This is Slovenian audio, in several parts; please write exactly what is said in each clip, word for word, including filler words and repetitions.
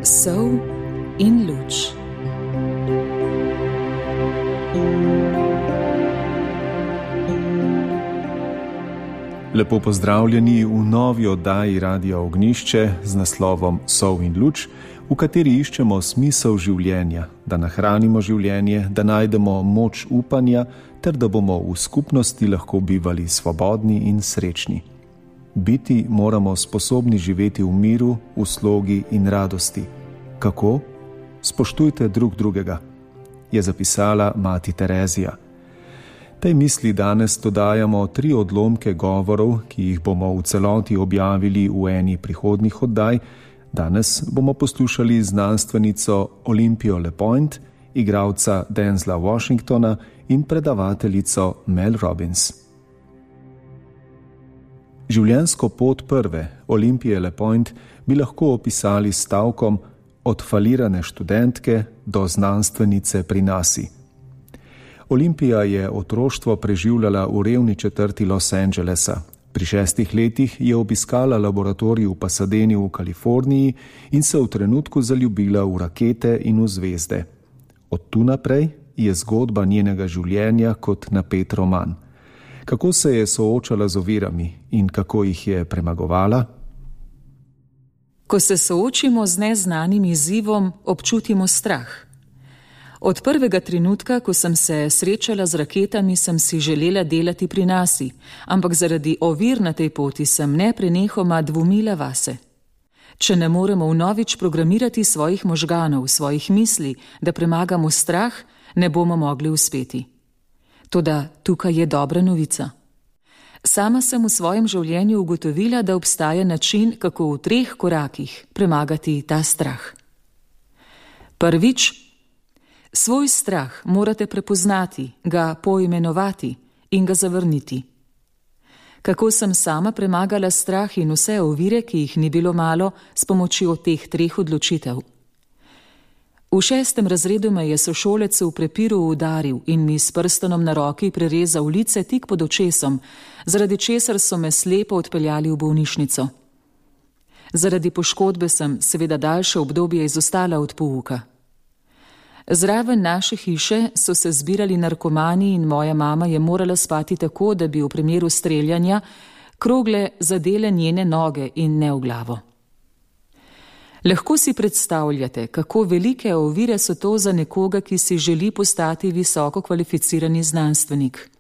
Sol in luč. Lepo pozdravljeni v novi oddaji Radia Ognjišče z naslovom Sol in luč, v kateri iščemo smisel življenja, da nahranimo življenje, da najdemo moč upanja ter da bomo v skupnosti lahko bivali svobodni in srečni. Biti moramo sposobni živeti v miru, v slogi in radosti. Kako? Spoštujte drug drugega, je zapisala mati Terezija. Tej misli danes dodajamo tri odlomke govorov, ki jih bomo v celoti objavili v eni prihodnjih oddaj. Danes bomo poslušali znanstvenico Olympijo LePoint, igralca Denzela Washingtona in predavateljico Mel Robbins. Življenjsko pot prve Olympije LePoint bi lahko opisali s stavkom od falirane študentke do znanstvenice pri nasi. Olympija je otroštvo preživljala v revni četrti Los Angelesa. Pri šestih letih je obiskala laboratorij v Pasadeni v Kaliforniji in se v trenutku zaljubila v rakete in v zvezde. Od tu naprej je zgodba njenega življenja kot napet roman. Kako se je soočala z ovirami in kako jih je premagovala? Ko se soočimo z neznanim izzivom, občutimo strah. Od prvega trenutka, ko sem se srečala z raketami, sem si želela delati pri nasi, ampak zaradi ovir na tej poti sem neprenehoma dvomila vase. Če ne moremo vnovič programirati svojih možganov, svojih misli, da premagamo strah, ne bomo mogli uspeti. Toda tukaj je dobra novica. Sama sem v svojem življenju ugotovila, da obstaja način, kako v treh korakih premagati ta strah. Prvič, svoj strah morate prepoznati, ga poimenovati in ga zavrniti. Kako sem sama premagala strah in vse ovire, ki jih ni bilo malo, s pomočjo teh treh odločitev. V šestem razredu me je sošolec v prepiru udaril in mi s prstonom na roki prerezal lice tik pod očesom, zaradi česar so me slepo odpeljali v bolnišnico. Zaradi poškodbe sem seveda daljše obdobje izostala od pouka. Zraven naše hiše so se zbirali narkomani in moja mama je morala spati tako, da bi v primeru streljanja krogle zadele njene noge in ne v glavo. Lahko si predstavljate, kako velike ovire so to za nekoga, ki si želi postati visoko kvalificirani znanstvenik.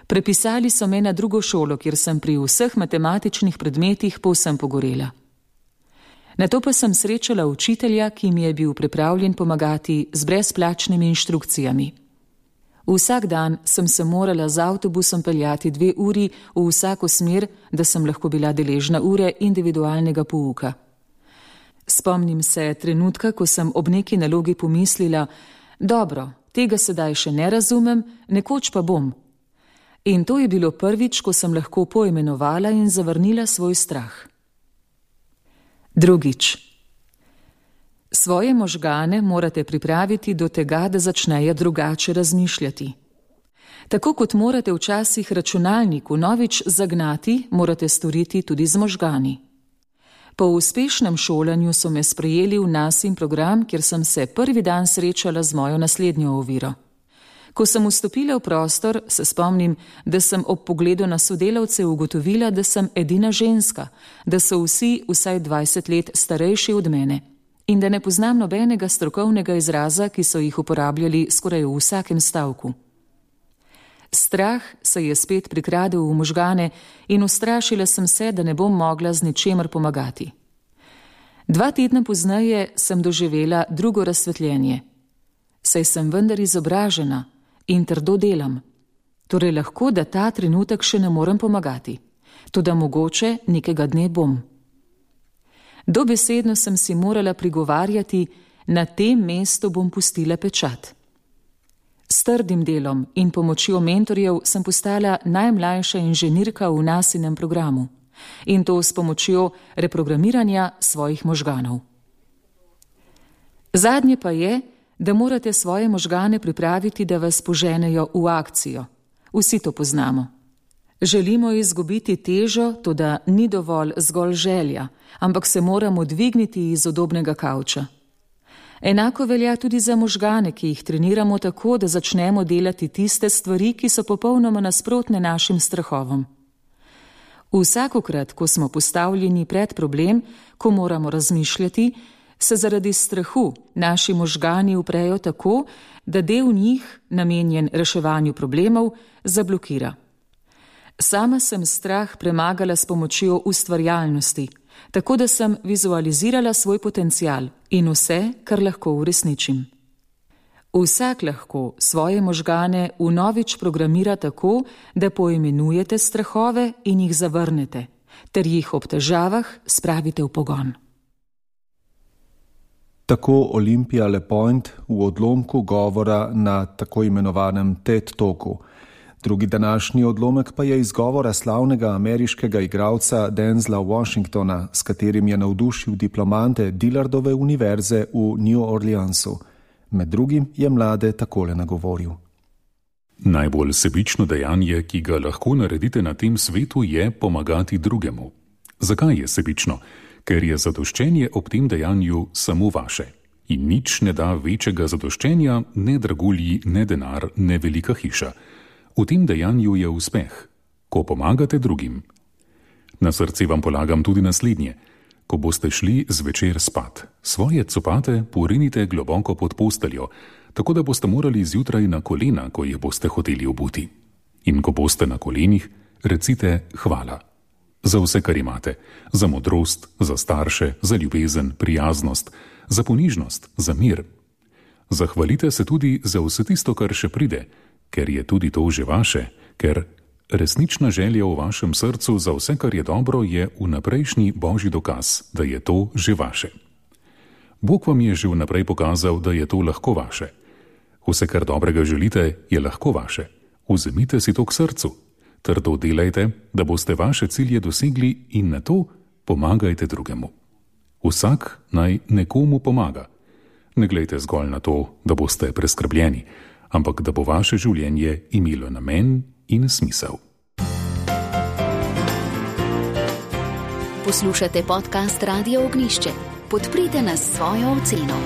Prepisali so me na drugo šolo, kjer sem pri vseh matematičnih predmetih povsem pogorela. Nato pa sem srečala učitelja, ki mi je bil pripravljen pomagati z brezplačnimi inštrukcijami. Vsak dan sem se morala z avtobusom peljati dve uri v vsako smer, da sem lahko bila deležna ure individualnega pouka. Spomnim se trenutka, ko sem ob neki nalogi pomislila, dobro, tega sedaj še ne razumem, nekoč pa bom. In to je bilo prvič, ko sem lahko poimenovala in zavrnila svoj strah. Drugič. Svoje možgane morate pripraviti do tega, da začnejo drugače razmišljati. Tako kot morate včasih računalnik vnovič zagnati, morate storiti tudi z možgani. Po uspešnem šolanju so me sprejeli v nasin program, kjer sem se prvi dan srečala z mojo naslednjo oviro. Ko sem vstopila v prostor, se spomnim, da sem ob pogledu na sodelavce ugotovila, da sem edina ženska, da so vsi vsaj dvajset let starejši od mene in da ne poznam nobenega strokovnega izraza, ki so jih uporabljali skoraj v vsakem stavku. Strah se je spet prikradel v možgane in ustrašila sem se, da ne bom mogla z ničemer pomagati. Dva tedna pozneje sem doživela drugo razsvetljenje. Saj sem vendar izobražena in trdo delam. Torej lahko, da ta trenutek še ne morem pomagati. Toda mogoče nekega dne bom. Dobesedno sem si morala prigovarjati, na tem mestu bom pustila pečat. S trdim delom in pomočjo mentorjev sem postala najmlajša inženirka v nasinem programu in to s pomočjo reprogramiranja svojih možganov. Zadnje pa je, da morate svoje možgane pripraviti, da vas poženejo v akcijo. Vsi to poznamo. Želimo izgubiti težo, toda ni dovolj zgolj želja, ampak se moramo dvigniti iz udobnega kavča. Enako velja tudi za možgane, ki jih treniramo tako, da začnemo delati tiste stvari, ki so popolnoma nasprotne našim strahovom. Vsakokrat, ko smo postavljeni pred problem, ko moramo razmišljati, se zaradi strahu naši možgani uprejo tako, da del njih, namenjen reševanju problemov, zablokira. Sama sem strah premagala s pomočjo ustvarjalnosti, tako da sem vizualizirala svoj potencial in vse, kar lahko uresničim. Vsak lahko svoje možgane vnovič programira tako, da poimenujete strahove in jih zavrnete, ter jih ob težavah spravite v pogon. Tako Olimpija LePoint v odlomku govora na tako imenovanem TED Talku. Drugi današnji odlomek pa je iz govora slavnega ameriškega igralca Denzela Washingtona, s katerim je navdušil diplomante Dillardove univerze v New Orleansu. Med drugim je mlade takole nagovoril. Najbolj sebično dejanje, ki ga lahko naredite na tem svetu, je pomagati drugemu. Zakaj je sebično? Ker je zadoščenje ob tem dejanju samo vaše. In nič ne da večjega zadoščenja, ne dragulji, ne denar, ne velika hiša. V tem dejanju je uspeh, ko pomagate drugim. Na srce vam polagam tudi naslednje. Ko boste šli zvečer spat, svoje copate porinite globoko pod posteljo, tako da boste morali zjutraj na kolena, ko jih boste hoteli obuti. In ko boste na kolenih, recite hvala. Za vse, kar imate. Za modrost, za starše, za ljubezen, prijaznost, za ponižnost, za mir. Zahvalite se tudi za vse tisto, kar še pride, ker je tudi to že vaše, ker resnična želja v vašem srcu za vse, kar je dobro, je vnaprejšnji božji dokaz, da je to že vaše. Bog vam je že vnaprej pokazal, da je to lahko vaše. Vse, kar dobrega želite, je lahko vaše. Vzemite si to k srcu. Trdo delajte, da boste vaše cilje dosegli in na to pomagajte drugemu. Vsak naj nekomu pomaga. Ne glejte zgolj na to, da boste preskrbljeni, ampak da bo vaše življenje imelo namen in smisel. Poslušate podcast Radio Ognjišče. Podprite nas s svojo oceno.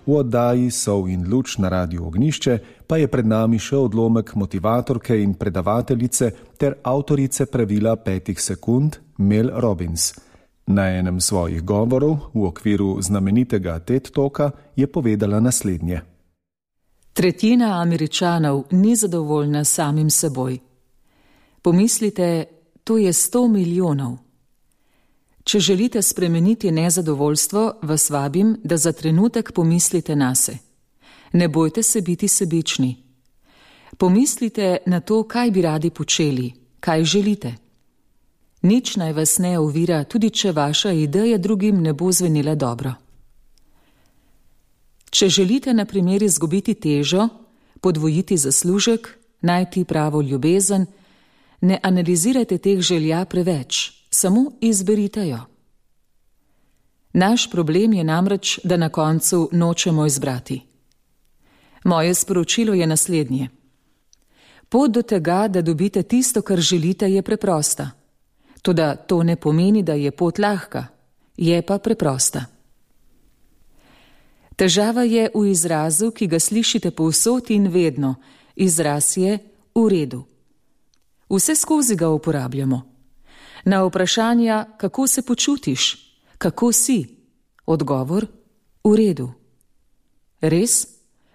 V oddaji Sol in luč na Radiu Ognjišče pa je pred nami še odlomek motivatorke in predavateljice ter avtorice pravila petih sekund Mel Robbins. Na enem svojih govorov v okviru znamenitega TED Talka je povedala naslednje. Tretjina Američanov ni zadovoljna samim seboj. Pomislite, to je sto milijonov. Če želite spremeniti nezadovoljstvo, vas vabim, da za trenutek pomislite nase. Ne bojte se biti sebični. Pomislite na to, kaj bi radi počeli, kaj želite. Nič naj vas ne ovira, tudi če vaša ideja drugim ne bo zvenila dobro. Če želite na primer izgubiti težo, podvojiti zaslužek, najti pravo ljubezen, ne analizirajte teh želja preveč, samo izberite jo. Naš problem je namreč, da na koncu nočemo izbrati. Moje sporočilo je naslednje. Pot do tega, da dobite tisto, kar želite, je preprosta. Toda to ne pomeni, da je pot lahka, je pa preprosta. Težava je v izrazu, ki ga slišite povsod in vedno. Izraz je v redu. Vse skozi ga uporabljamo. Na vprašanja, kako se počutiš, kako si, odgovor, v redu. Res?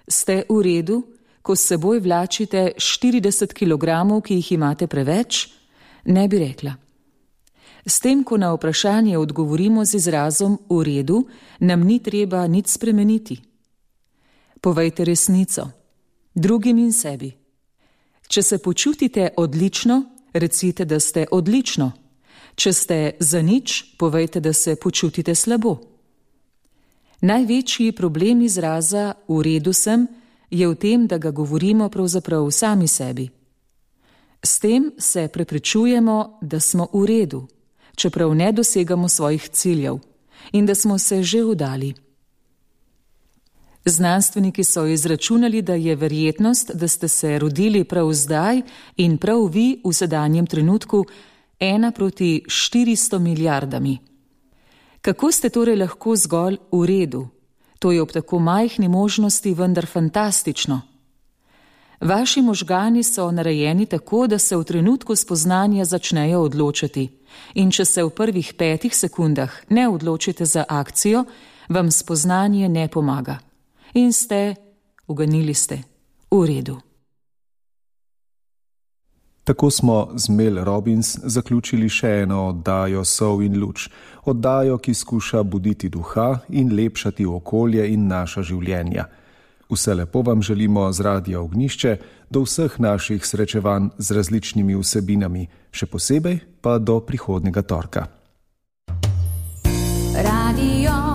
Ste v redu, ko s seboj vlačite štirideset kilogramov, ki jih imate preveč? Ne bi rekla. S tem, ko na vprašanje odgovorimo z izrazom v redu, nam ni treba nič spremeniti. Povejte resnico, drugim in sebi. Če se počutite odlično, recite, da ste odlično. Če ste za nič, povejte, da se počutite slabo. Največji problem izraza v redu sem je v tem, da ga govorimo pravzaprav sami sebi. S tem se preprečujemo, da smo v redu, čeprav ne dosegamo svojih ciljev in da smo se že vdali. Znanstveniki so izračunali, da je verjetnost, da ste se rodili prav zdaj in prav vi v sedanjem trenutku, ena proti štiristo milijardami. Kako ste torej lahko zgolj v redu? To je ob tako majhni možnosti vendar fantastično. Vaši možgani so narejeni tako, da se v trenutku spoznanja začnejo odločati. In če se v prvih petih sekundah ne odločite za akcijo, vam spoznanje ne pomaga. In ste, uganili ste, v redu. Tako smo z Mel Robbins zaključili še eno oddajo Sol in luč. Oddajo, ki skuša buditi duha in lepšati okolje in naša življenja. Vse lepo vam želimo z Radia Ognjišče, do vseh naših srečevanj z različnimi vsebinami, še posebej pa do prihodnjega torka. Radio